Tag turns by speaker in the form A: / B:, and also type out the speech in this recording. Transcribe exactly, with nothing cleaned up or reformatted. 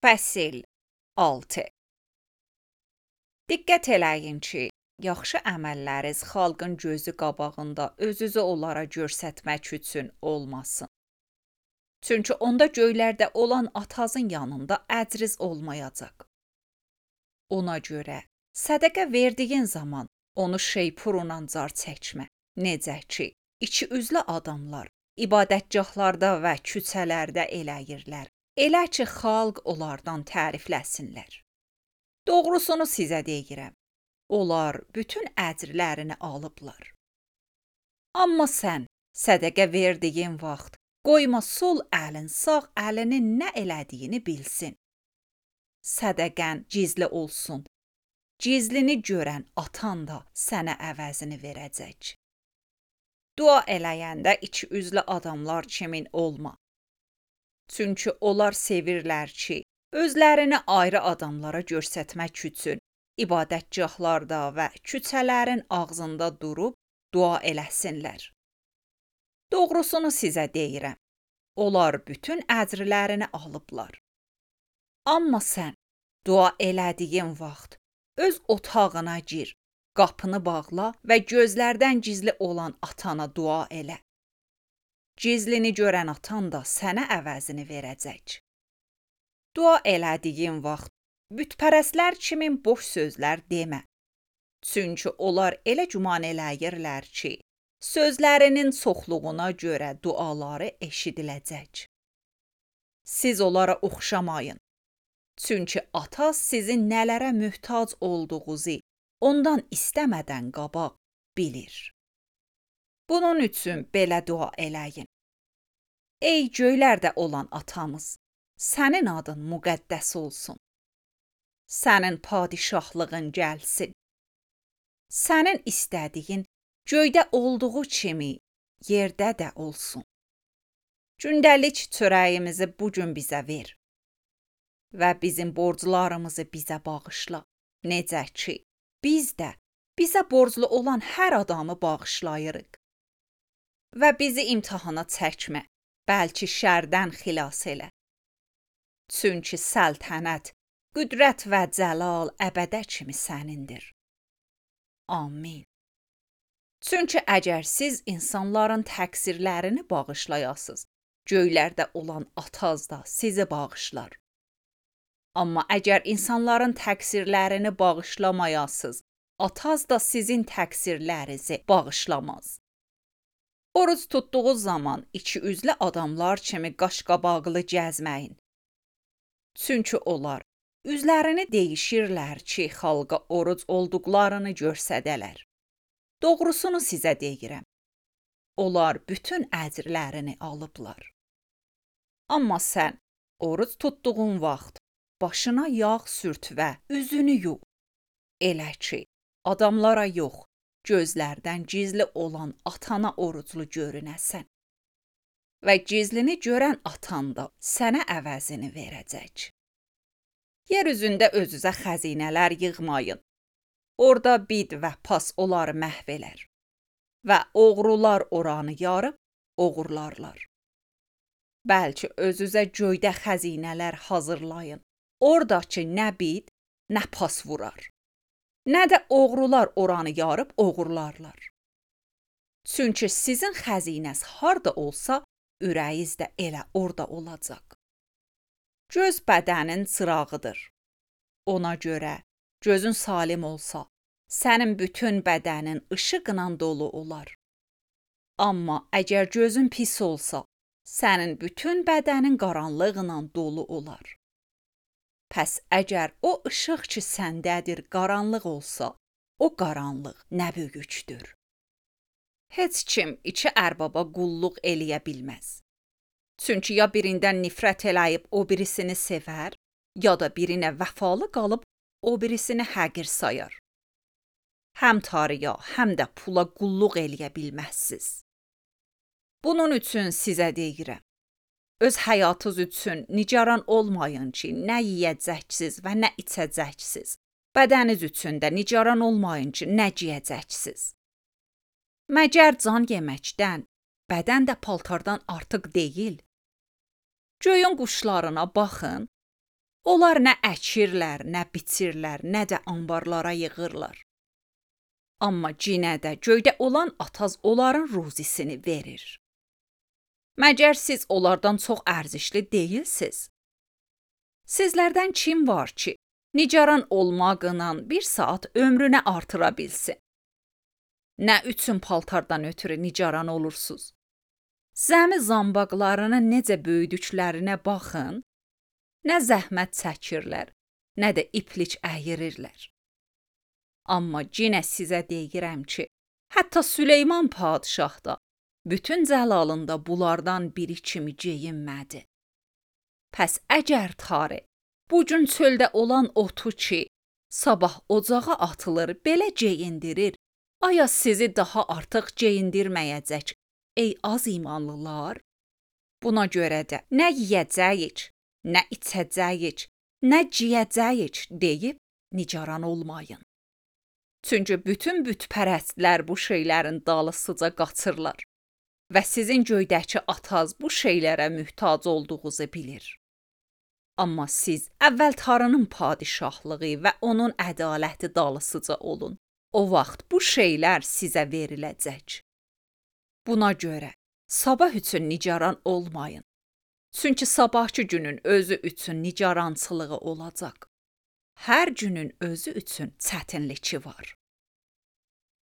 A: Fəsil altı. Diqqət eləyin ki, yaxşı əməlləriniz xalqın gözü qabağında özünüzü onlara göstərmək üçün olmasın. Çünki onda göylərdə olan atanızın yanında əcriz olmayacaq. Ona görə sədəqə verdiyin zaman onu şeypurla car çəkmə. Necə ki, iki üzlü adamlar ibadətgahlarda və küçələrdə eləyirlər. Elə ki, xalq onlardan tərifləsinlər. Doğrusunu sizə deyirəm, onlar bütün əcrlərini alıblar. Amma sən sədəqə verdiyin vaxt qoyma sol əlin sağ əlinin nə elədiyini bilsin. Sədəqən gizli olsun. Gizlini görən atan da sənə əvəzini verəcək. Dua eləyəndə iki üzlü adamlar kimin olma. Çünki onlar sevirlər ki, özlərini ayrı adamlara göstərmək üçün ibadətgahlarda və küçələrin ağzında durub dua eləsinlər. Doğrusunu sizə deyirəm, onlar bütün əcrlərini alıblar. Amma sən dua elədiyin vaxt öz otağına gir, qapını bağla və gözlərdən gizli olan atana dua elə. Gizlini görən atan da sənə əvəzini verəcək. Dua elədiyin vaxt bütpərəstlər kimi boş sözlər demə. Çünki onlar elə güman eləyirlər ki, sözlərinin çoxluğuna görə duaları eşidiləcək. Siz onlara oxşamayın. Çünki ata sizin nələrə möhtac olduğunuzu ondan istəmədən qabaq bilir. Bunun üçün belə dua eləyin. Ey göylərdə olan atamız, sənin adın müqəddəs olsun. Sənin padişahlığın gəlsin. Sənin istədiyin göydə olduğu kimi yerdə də olsun. Gündəlik çörəyimizi bugün bizə ver. Və bizim borclarımızı bizə bağışla. Necə ki, biz də bizə borclu olan hər adamı bağışlayırıq. Və bizi imtahana çəkmə, bəlkə şərdən xilas elə. Çünki səltənət, qüdrət və cəlal əbədə kimi sənindir. Amin. Çünki əgər siz insanların təqsirlərini bağışlayasınız, göylərdə olan ataz da sizi bağışlar. Amma əgər insanların təqsirlərini bağışlamayasınız, ataz da sizin təqsirlərinizi bağışlamaz. Oruc tutduğu zaman iki üzlü adamlar kimi qaşqabaqlı gəzməyin. Çünki onlar üzlərini deyişirlər ki, xalqa oruc olduqlarını görsədələr. Doğrusunu sizə deyirəm. Onlar bütün əcrlərini alıblar. Amma sən oruc tutduğun vaxt başına yağ sürt və üzünü yu. Elə ki, adamlara yox, gözlərdən gizli olan atana oruclu görünəsən. Və gizlini görən atan da sənə əvəzini verəcək. Yer üzündə özünüzə xəzinələr yığmayın. Orada bid və pas onları məhv elər. Və oğrular oranı yarıb oğurlarlar. Bəlkə özünüzə göydə xəzinələr hazırlayın. Oradakı nə bid, nə pas vurar. Nə də oğrular oranı yarıb oğurlarlar. Çünki sizin xəzinəz harda olsa, ürəyiz də elə orada olacaq. Göz bədənin çırağıdır. Ona görə gözün salim olsa, sənin bütün bədənin işıqla dolu olar. Amma əgər gözün pis olsa, sənin bütün bədənin qaranlıqla dolu olar. Pəs əgər o işıq ki səndədir qaranlıq olsa, o qaranlıq nə böyükdür. Heç kim iki ərbaba qulluq eləyə bilməz. Çünki ya birindən nifrət eləyib o birisini sevər, ya da birinə vəfalı qalıb o birisini həqir sayar. Həm Tanrıya, həm də pula qulluq eləyə bilməzsiz. Bunun üçün sizə deyirəm. Öz həyatınız üçün nigaran olmayın ki, nə yeyəcəksiniz və nə içəcəksiniz. Bədəniniz üçün də nigaran olmayın ki, nə geyəcəksiniz. Məgər can yeməkdən, bədən də paltardan artıq deyil. Göyün quşlarına baxın. Onlar nə əkirlər, nə biçirlər, nə də anbarlara yığırlar. Amma cinə də göydə olan ataz onların ruzisini verir. Məgər siz onlardan çox ərzişli deyilsiz? Sizlərdən kim var ki, nicaran olmaqla bir saat ömrünü artıra bilsin? Nə üçün paltardan ötürü nicaran olursunuz? Zəmi zambaqlarını necə böyüdüklərinə baxın, nə zəhmət çəkirlər, nə də iplik əyirirlər. Amma yenə sizə deyirəm ki, hətta Süleyman padişah da bütün cəlalında bunlardan biri kimi geyinmədi. Pəs əgər tarı, bu gün çöldə olan otu ki, sabah ocağa atılır, belə geyindirir, aya sizi daha artıq geyindirməyəcək, ey az imanlılar? Buna görə də nə yeyəcəyik, nə içəcəyik, nə giyəcəyik deyib nicaran olmayın. Çünki bütün bütpərəstlər bu şeylərin dalısıca qaçırlar və sizin göydəki ataz bu şeylərə mühtac olduğunuzu bilir. Amma siz əvvəl Tanrının padişahlığı və onun ədaləti dalısıca olun. O vaxt bu şeylər sizə veriləcək. Buna görə sabah üçün nicaran olmayın. Çünki sabahki günün özü üçün nicarançılığı olacaq. Hər günün özü üçün çətinliyi var.